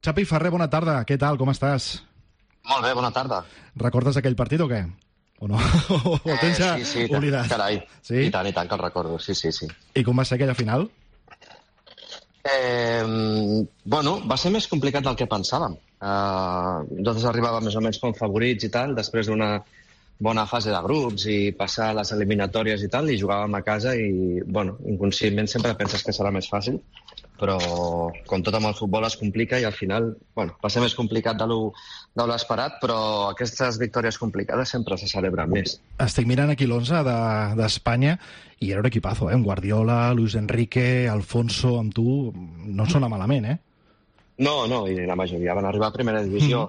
Xavi Ferrer, bona tarda. Què tal? Com estàs? Molt bé, bona tarda. Recordes aquell partit o què? O no? O tens ja oblidat? Carai. Sí? I tant que el recordo, sí. I com va ser aquella final? Bueno, va ser més complicat del que pensàvem. Nosaltres arribàvem més o menys com favorits i tal, després d'una bona fase de grups i passar les eliminatòries i tal, i jugàvem a casa i, bueno, inconscientment sempre penses que serà més fàcil, però com tot amb el futbol es complica i al final, bueno, va ser més complicat de l'esperat, però aquestes victòries complicades sempre se celebren més. Estic mirant aquí l'11 d'Espanya i era un equipazo, eh? Un Guardiola, Luis Enrique, Alfonso, amb tu, no sona malament, eh? No, i la majoria van arribar a primera divisió.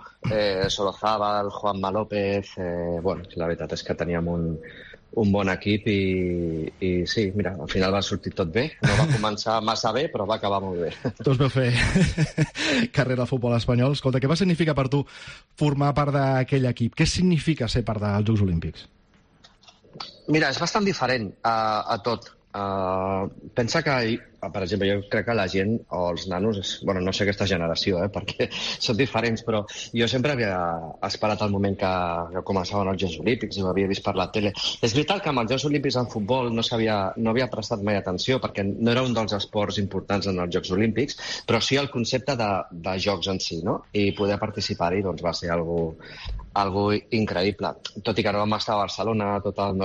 Solozábal, Juanma López... Bueno, la veritat és que teníem un bon equip i sí, mira, al final va sortir tot bé. No va començar massa bé, però va acabar molt bé. Tots veu fer carrera al futbol espanyol. Escolta, què va significar per tu formar part d'aquell equip? Què significa ser part dels Jocs Olímpics? Mira, és bastant diferent a tot. Pensa que, per exemple, jo crec que la gent o els nanos, bueno, no sé aquesta generació, perquè són diferents, però jo sempre havia esperat el moment que començaven els Jocs Olímpics i ho havia vist per la tele. És veritat que amb els Jocs Olímpics en futbol no havia prestat mai atenció perquè no era un dels esports importants en els Jocs Olímpics, però sí el concepte de jocs en si, no? I poder participar-hi doncs, va ser algo increïble. Tot i que no vam estar a Barcelona, tots els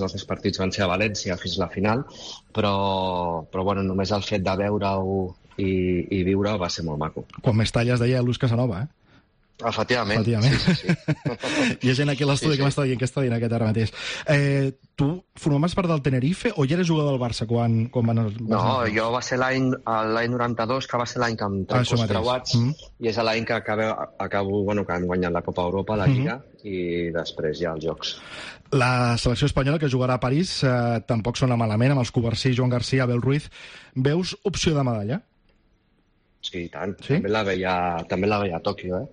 nostres partits van ser a València fins a la final, però bueno, només el fet de veure-ho i viure-ho va ser molt maco. Quan més talles deia Luz Casanova, eh? Efectivament. Sí. Hi ha gent aquí a l'estudi que m'està dient que està dient aquest ara mateix. Tu formaves part del Tenerife o ja eres jugador del Barça quan van... No, jo va ser l'any 92, que va ser l'any que em trenco els creuats, i és l'any que acabo, bueno, que han guanyat la Copa Europa, la Lliga, i després ja els Jocs. La selecció espanyola que jugarà a París tampoc sona malament, amb els Covarsí, Joan Garcia, Abel Ruiz. Veus opció de medalla? Sí, i tant. Sí? També la veia a Tòquio,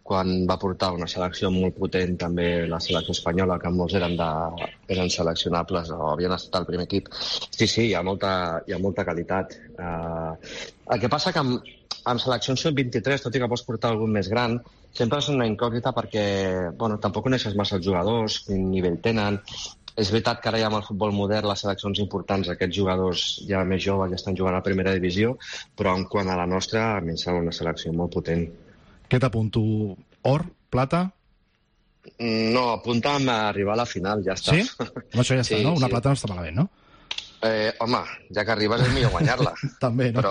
quan va portar una selecció molt potent, també la selecció espanyola, que molts eren seleccionables o havien estat al primer equip. Sí, hi ha molta qualitat. El que passa que amb seleccions sub-23, tot i que pots portar algun més gran, sempre és una incògnita perquè tampoc coneixes massa els jugadors, quin nivell tenen. És veritat que ara ja amb el futbol modern, les seleccions importants, aquests jugadors ja més joves ja estan jugant a primera divisió, però en quant a la nostra, a mi em sembla una selecció molt potent. Què t'apunto? Or? Plata? No, apunta'm a arribar a la final, ja està. Sí? Això ja està, no? Una plata no està malament, no? Home, ja que arribes és millor guanyar-la. També, no?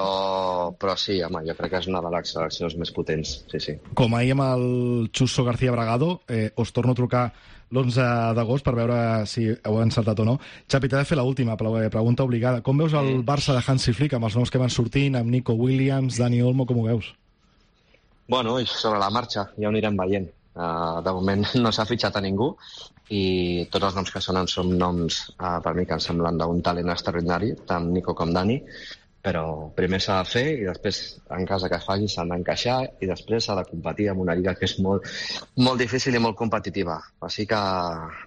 Però sí, home, jo crec que és una de les seleccions més potents, sí. Com ahir amb el Chuso García Bragado, us torno a trucar l'11 d'agost per veure si heu encertat o no. Xavi, t'he de fer l'última pregunta obligada. Com veus el Barça de Hansi Flick amb els nous que van sortint, amb Nico Williams, Dani Olmo, com ho veus? Bueno, sobre la marxa, ja ho anirem veient. De moment no s'ha fitxat a ningú i tots els noms que sonen són noms per mi que em semblen d'un talent extraordinari, tant Nico com Dani, però primer s'ha de fer i després, en cas que es faci, s'han d'encaixar i després s'ha de competir en una lliga que és molt, molt difícil i molt competitiva. Així que,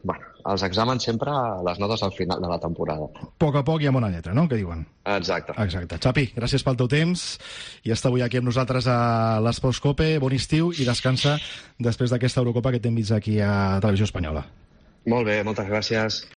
bueno, els exàmens sempre les notes al final de la temporada. A poc i amb una lletra, no? Què diuen? Exacte. Xavi, gràcies pel teu temps i està avui aquí amb nosaltres a l'Esports Cope. Bon estiu i descansa després d'aquesta Eurocopa que t'hem vist aquí a Televisió Espanyola. Molt bé, moltes gràcies.